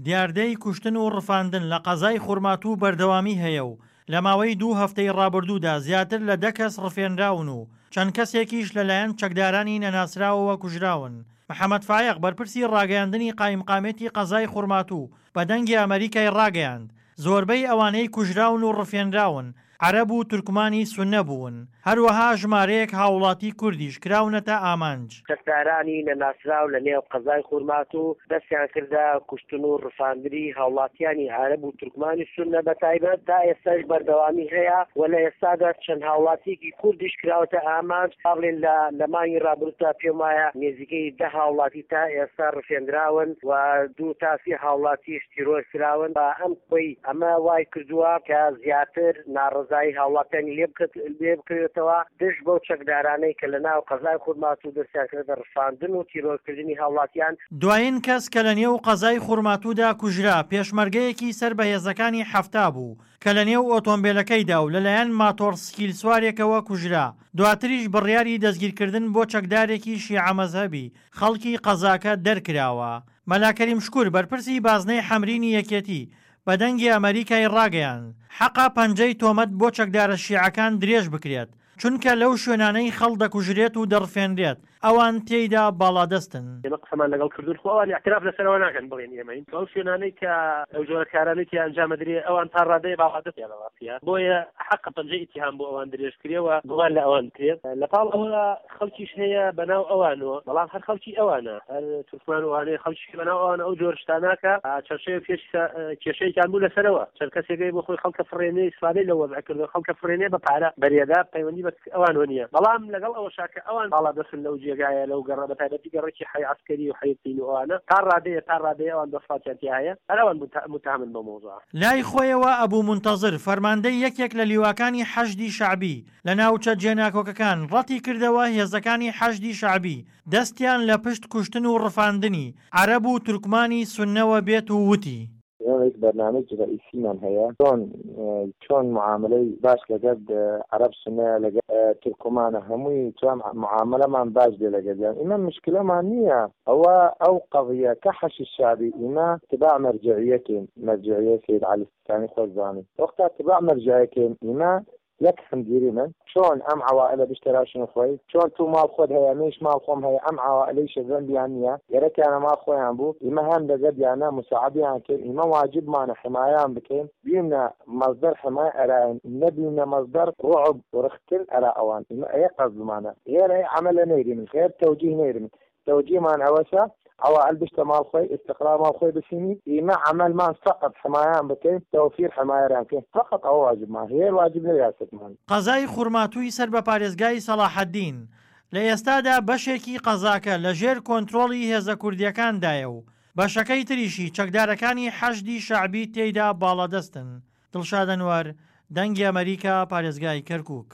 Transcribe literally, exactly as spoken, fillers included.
دیاردەی کوشتن و ڕفاندن لە قەزای خورماتوو بەردەوامی هەیە و لە ماوەی دوو هەفتەی ڕابردوودا زیاتر لە دە کەس ڕفێنراون و چەند کەسێکیش لەلایەن چەکدارانی نەناسراوەوە کوژراون. محەمەد فایەق بەرپرسی ڕاگەیاندنی قایمقامیەتی قەزای خورماتوو بە دەنگی ئەمەریکای ڕاگەیاند زۆربەی ئەوانەی کوژراون و ڕفێنراون عەرەب و تورکمانی سوننە بوون، هەروەها ژمارەیەک هاوڵاتی کوردیش کراونەتە ئامانج. چەکدارانی نەناسراو لە نێو قەزای خورماتوو دەستیان کردە کوشتن و ڕفاندنی هاوڵاتیانی عەرەب و تورکمانی سوننە بە تایبەت، تا ئێستاش بەردەوامی هەیە و لە ئێستادا چەند هاوڵاتیەکی کوردیش کراوەتە ئامانج، با بڵێین لە لە مانگی ڕابردوودا پێم وایە نێزیکەی دە هاوڵاتی تا ئێستا ڕفێندراون و دوو تا سێ هاوڵاتیش تیرۆر کراون و ئەم خۆی ئەمە وای کردووە کە زیاتر ناڕەزایی هاوڵاتیانی لێ بکەوێتەوە دژ بەو چەکدارانەی کە لە ناو قەزای خورماتوو دەستیان کردە ڕفاندن و تیرۆرکردنی هاوڵاتیان. دوایین کەس کە لە نێو قەزای خورماتوودا کوژرا، پێشمەرگەیەکی سەر بە هێزەکانی حەفتا بوو کە لە نێو ئۆتۆمبێلەکەیدا و لەلایەن ماتۆڕسکیلسوارێکەوە کوژرا، دواتریش بڕیاری دەستگیرکردن بۆ چەکدارێکی شیعە مەزهەبی خەڵکی قەزاکە دەرکراوە. مەلا کەریم شکور بەرپرسی بازنەی حەمرینی یەکێتی بە دەنگی ئەمەریکای ڕاگەیاند، حەقە پەنجەی تۆمەت بۆ چەکدارە شیعەکان درێژ بکرێت، چونکە لەو شوێنانەی خەڵ دەکوژرێت و دەڕفێنرێت ئەوان تێیدا باڵادەستن. ئێمە قسەمان لەگەڵ کردوون، خۆ ئەوان ئیعتراف لەسەر ئەوە ناکەن بڵێن ئێمەین، ئەو شوێنانەی کە ئەو جۆرە کارانەی تیا ئەنجام ئەدرێ ئەوان تا ڕادەیە باڵادەستیان لە ڕاستیا، بۆیە حەقە پەنجەی ئیتیهام بۆ ئەوان درێژ کرێ و گومان لە ئەوان بکرێ. لەپاڵ ئەوە خەڵکیش هەیە بەناو ئەوانەوە، بەڵام هەر خەڵکی ئەوانە، هەر تورکمان و ئەوانەیە، خەڵکیش هەیە بەناو ئەوانە ئەو جۆرە شتانە کە چەند شەوێک پێش کێشەیەکیان بوو لەسەرەوە، چەند کەسێک هەیە بۆ خۆی خەڵکە فڕێنێ ئیسفادەی لەو وەزعە کردووە، خەڵکە فڕێنێ بە پارە بەرێدا، پەیوەندی بە ئەوانەوە نییە، بەڵام لەگەڵ ئەوەشا کە ئەوان باڵادەستن لەو جێگایە لەو گەڕە بە تایبەتی گەڕەکی حەی عەسکەری و حەی تین و ئەوانە تا ڕادەیە تا ڕادەیە ئەوان دەسەڵاتیان تیا هەیە، هەر ئەوان موتەهەمن بەو مەوزوعە. لای خۆیەوە ئەبو مونتەزر فەرماندەی یەکێک لە لیواکانی حەشدی شەعبی لە ناوچە جێناکۆکەکان ڕەتی کردەوە هێزەکانی حەشدی شەعبی دەستیان لە پشت کوشتن و ڕفاندنی عەرەب و تورکمانی سوننەوە بێت و وتی، ئێمە هیچ بەرنامەیەکی ڕەئیسیمان هەیە چۆن چۆن معاملەی باش لەگەر عەرەب سونەیە لەگەر تورکمانە هەمووی چۆن معاملەمان باش بێ لەگەریان ئیمە مشکلەمان نییە ئەوە ئەو قەزیە کە حەشی شەعبی ئیمە تباع مەرجعیەکەین مەرجعیە سەید عەلی سیستانی خۆش زانی وەختا تباع مەرجعیەکەین ئیمە یەک هەم دیریمن چۆن ئەم عەوائلە بشتەراشن خوەی چۆن تو ماڵ خۆت هەیە منیش ماڵ خۆم هەیە ئەم عەوائلەیشە زەنبیان نیە گەرەکیانە ماڵ خۆیان بوو ئیمە هەم لەگەردیانە مساعدیان کەین ئیمە واجبمانە حمایان بکەین بیمنە مەسدەر حمایە ئەرایان نەبیمنە مەسدەر ڕوعب و رختن ئەرا ئەوان ئیمە ئەیە قەسدمانە غێر ئەی عەمەلە نەیریمن غێر تەوجیه نەیریمن تەوجیهمان ئەوەسە عەوائل بشتە ماڵ خوەی ئستقرار ماڵ خوەی بسینی ئیمە عەمەلمان فەقەت حمایان بکەین تەوفیر حمایەران بکەین فەقەت ئەوە واجبمان غێر واجب نەیاسەتمان. قەزای خورماتووی سەر بە پارێزگای سەڵاحەدین، لە ئێستادا بەشێکی قەزاکە لە ژێر کۆنترۆڵی هێزە کوردییەکاندایە و بەشەکەی تریشی چەکدارەکانی حەشدی شەعبی تێیدا باڵادەستن. دڵشاد ئەنوەر، دەنگی ئەمەریکا، پارێزگای کەرکوک.